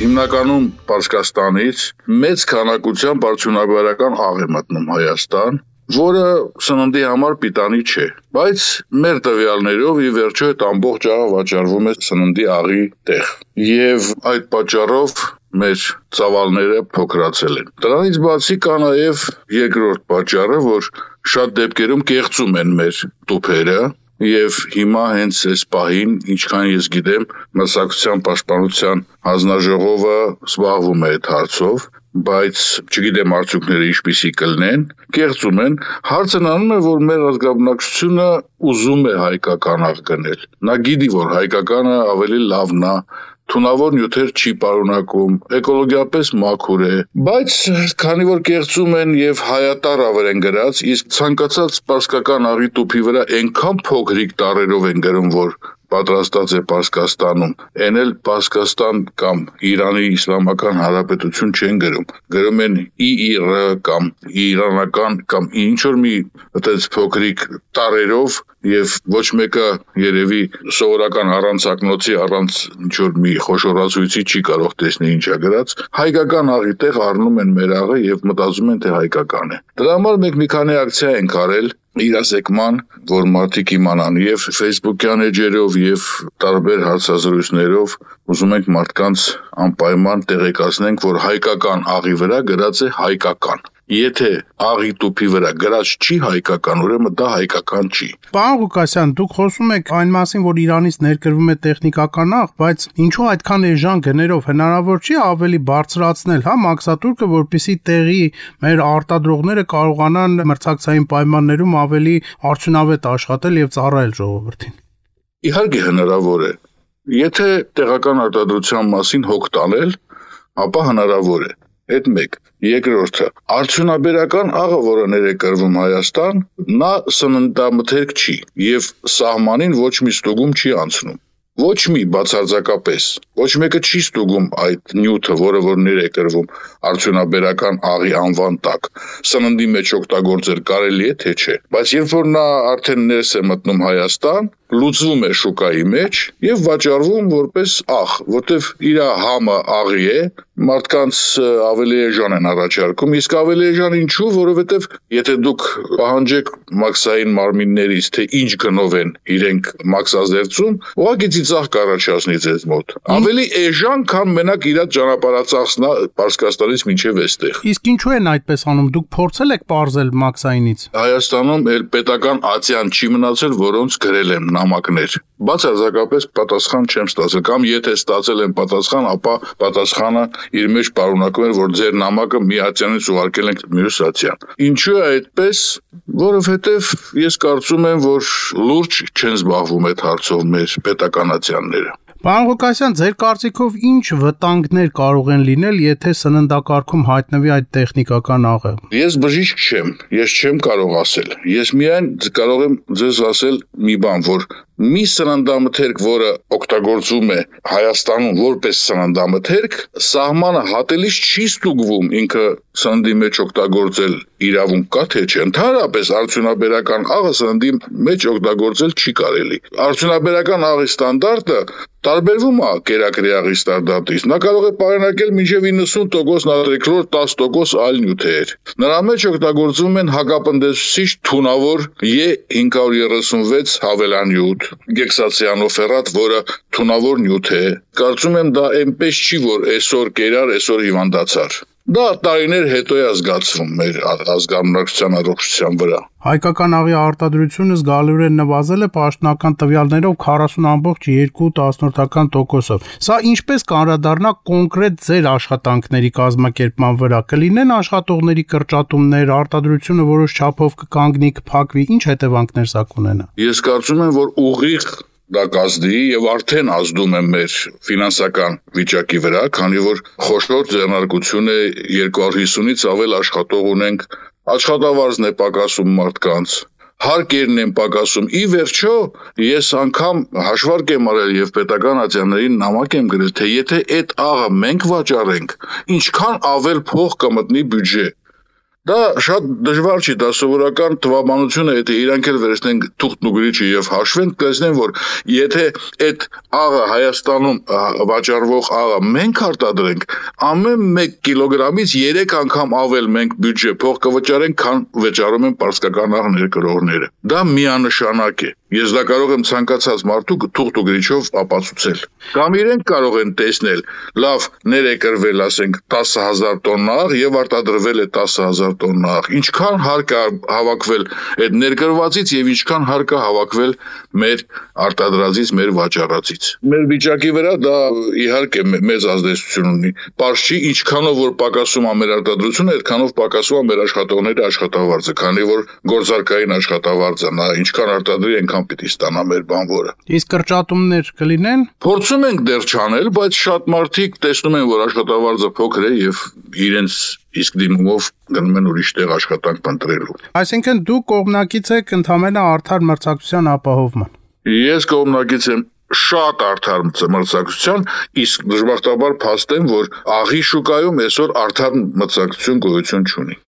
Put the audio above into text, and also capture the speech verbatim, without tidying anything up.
Հիմնականում Պարսկաստանից մեծ քանակությամբ արդյունաբերական աղ է մտնում Հայաստան, որը սննդի համար պիտանի չէ, բայց մեր տվյալներով ի վերջո այդ ամբողջ աղը վաճառվում է սննդի աղի տեղ, եւ այդ պատճառով մեր ծավալները փոքրացել են։ Դրանից բացի կա նաև երկրորդ պատճառը, որ շատ դեպքերում կեղծում են մեր տուփերը, եւ հիմա հենց այս պահին, ինչքան ես գիտեմ, մրցակցության պաշտպանության հանձնաժողովը զբաղվում է այդ հարցով, բայց չգիտեմ արդյունքները ինչպիսի կլինեն, կեղծում են, հարցն անում է, որ մեր ազգաբնակչությունը ուզում է հայկական աղ գնել։ Նա գիտի, որ հայկականը ավելի լավն է, թունավոր նյութեր չի պարունակում, էկոլոգիապես մաքուր է, բայց քանի որ կեղծում են եւ հայատար ավեր են գրած, իսկ ցանկացած պարսկական աղի տուփի վրա այնքան փոքրիկ տառերով են գրում, որ պատրաստած է Պարսկաստանում, այն էլ Պարսկաստան կամ Իրանի Իսլամական Հանրապետություն չեն գրում, գրում են ի իր կամ իրանական կամ ինչ-որ մի այդպես փոքրիկ տառերով եւ ոչ մեկը երևի սովորական առանցակնոցի առանց ինչ-որ մի խոշորացույցի չի կարող տեսնել ինչա գրած, հայկական աղի տեղ առնում են մեր աղը եւ մտածում են թե հայկական է։ Դրա համար մենք մի քանի ակցիա ենք արել իրազեկման, որ մարդիկ իմանան եւ Facebook-յան էջերով եւ տարբեր հարցազրույցներով ուզում ենք մարդկանց անպայման տեղեկացնենք, որ հայկական աղի վրա գրած է հայկական։ Եթե աղի տուփի վրա գրած չի հայկական, ուրեմն դա հայկական չի։ Պարոն Ղուկասյան, դուք խոսում եք այն մասին, որ Իրանից ներկրվում է տեխնիկական աղ, բայց ինչու այդքան էժան գներով հնարավոր չի ավելի բարձրացնել, հա, մաքսատուրկը, որպեսզի տեղի մեր արտադրողները կարողանան մրցակցային պայմաններում ավելի արդյունավետ աշխատել եւ ծառայել ժողովրդին։ Իհարկե հնարավոր է։ Եթե տեղական արտադրության մասին հոգ տանել, ապա հնարավոր է։ Այդ մեկ, երկրորդը, արդյունաբերական աղը, որը ներկրվում Հայաստան, նա սննդամթերք չի եւ սահմանին ոչ մի ստուգում չի անցնում։ Ոչ մի բացարձակապես, ոչ մեկը չի ստուգում այդ նյութը, որը որ ներկրվում արդյունաբերական աղի անվան տակ։ Սննդի մեջ օգտագործել կարելի է, թե չէ։ Բայց երբ որ նա արդեն ներս է մտնում Հայաստան, լուծվում է շուկայի մեջ եւ վաճառվում որպես աղ, որտեվ իր համը աղի է, մարդկանց ավելի էժան են առաջարկում, իսկ ավելի էժան ինչու, որովհետեւ եթե դուք պահանջեք մաքսային մարմիններից, թե ինչ գնով են իրենք մաքսազերծում, ուղղակի ծիծաղ կառաջացնի ձեզ մոտ։ Ավելի էժան, քան մենակ իր ճանապարհածախսնա Պարսկաստանից մինչև այստեղ։ Իսկ ինչու են այդպես անում, դուք փորձել եք պարզել մաքսայինից։ Հայաստանում էլ պետական ացիան չի մնացել, որոնց գրել եմ նամակներ։ Բացարձակապես պատասխան չեմ ստացել, կամ եթե ստացել եմ պատասխան, ապա պատասխանը իր մեջ պարունակում էր, որ ձեր նամակը մի ացյանից ուղարկել ենք մյուս ացյան։ Ինչու է այդպես, որովհետև ես կարծում եմ, որ լուրջ չեն զբաղվում այդ հարցով մեր պետական ացյանները։ Պարոն Ղուկասյան, ձեր կարծիքով ինչ վտանգներ կարող են լինել, եթե սննդակարգում հայտնվի այդ տեխնիկական աղը։ Ես բժիշկ չեմ, ես չեմ կարող ասել։ Ես միայն կարող եմ ձեզ ասել մի բան, որ մի սննդամթերք, որը օգտագործվում է Հայաստանում որպես սննդամթերք, սահմանը հատելիս չի ստուգվում ինքը սննդի մեջ օգտագործել իրավունք կա թե չէ։ Ընդհանրապես արդյունաբերական աղը սննդի մեջ օգտագործել չի կարելի։ Արդյունաբերական աղի ստանդարտը տարբերվում է կերակրի աղի ստանդարտից։ Նա կարող է պարունակել մինչև իննսուն տոկոս նատրիքլոր, տասը տոկոս այլ նյութեր։ Նրա մեջ օգտագործվում են հակապնդեցուցիչ թունավոր E հինգ հարյուր երեսունվեց հավելանյութ, գեքսացիանոֆերատ, որը թունավոր նյութ է։ Կարծում եմ դա այնպես չի, որ այսօր կերար, այսօր հիվանդացար։ Դա տարիներ հետո է զգացվում մեր ազգամնակցության առողջության վրա։ Հայկական աղի արտադրությունը զգալիորեն նվազել է պաշտոնական տվյալներով քառասուն ամբողջ երկու տասնորդական տոկոսով։ Սա ինչպես կանդրադառնա կոնկրետ ձեր աշխատանքների կազմակերպման վրա։ Կլինեն աշխատողների կրճատումներ, արտադրությունը որոշ չափով կկանգնի, կփակվի, ինչ հետևանքներ սա կունենա։ Ես կարծում եմ, որ ուղիղ դա կազդի եւ արդեն ազդում է մեր ֆինանսական վիճակի վրա, քանի որ խոշոր ձեռնարկություն է երկու հարյուր հիսունից ավել աշխատող ունենք, աշխատավարձն է պակասում մարդկանց, հարկերն են պակասում։ Ի վերջո ես անգամ հաշվարկ եմ արել եւ պետական ատյաններին նամակ եմ գրել, թե եթե այդ աղը մենք վաճառենք, ինչքան ավել փող կմտնի բյուջե։ Դա շատ դժվար չի, դա սովորական թվաբանություն է, եթե իրանք էլ վերցնեն թուղթն ու գրիչը եւ հաշվեն, կտեսնեն, որ եթե այդ աղը Հայաստանում վաճառվող աղը մենք արտադրենք, ամեն մեկ կիլոգրամից երեք անգամ ավել մենք բյուջե փող կվճարենք, քան վճարում են պարսկական աղ ներկրողները։ Դա միանշանակ է։ Ես դա կարող եմ ցանկացած մարդու թուղթ ու գրիչով ապացուցել։ Կամ իրենք կարող են տեսնել, լավ, ներեկրվել, ասենք, տասը հազար տոննա աղ եւ արտադրվել է տասը հազար տոննա աղ։ Ինչքան հարկ է հավաքվել այդ ներկրվածից եւ ինչքան հարկ է հավաքվել մեր արտադրածից, մեր վաճառածից։ Մեր վիճակի վրա դա իհարկե մեծ ազդեցություն ունի։ Պարզ չի, ինչքանով որ պակասում է մեր արտադրությունը, այդքանով պակասում է մեր աշխատողների աշխատավարձը, քանի որ գործարքային աշխատավարձը նա ինչքան արտադրի, այնքան պիտի ստանա մեր բանվորը։ Իսկ կրճատումներ կլինեն։ Փորձում ենք դեռ չանել, բայց շատ մարդիկ տեսնում են, որ աշխատավարձը փոքր է եւ իրենց իսկ դիմումով գնում են ուրիշ տեղ աշխատանք փնտրելու։ Այսինքն դու կողմնակից եք ընդհանրապես արդար մրցակցության ապահովման։ Ես կողմնակից եմ շատ արդար մրցակցության, իսկ դժբախտաբար փաստ եմ, որ աղի շուկայում այսօր արդար մրցակցություն գոյություն չունի։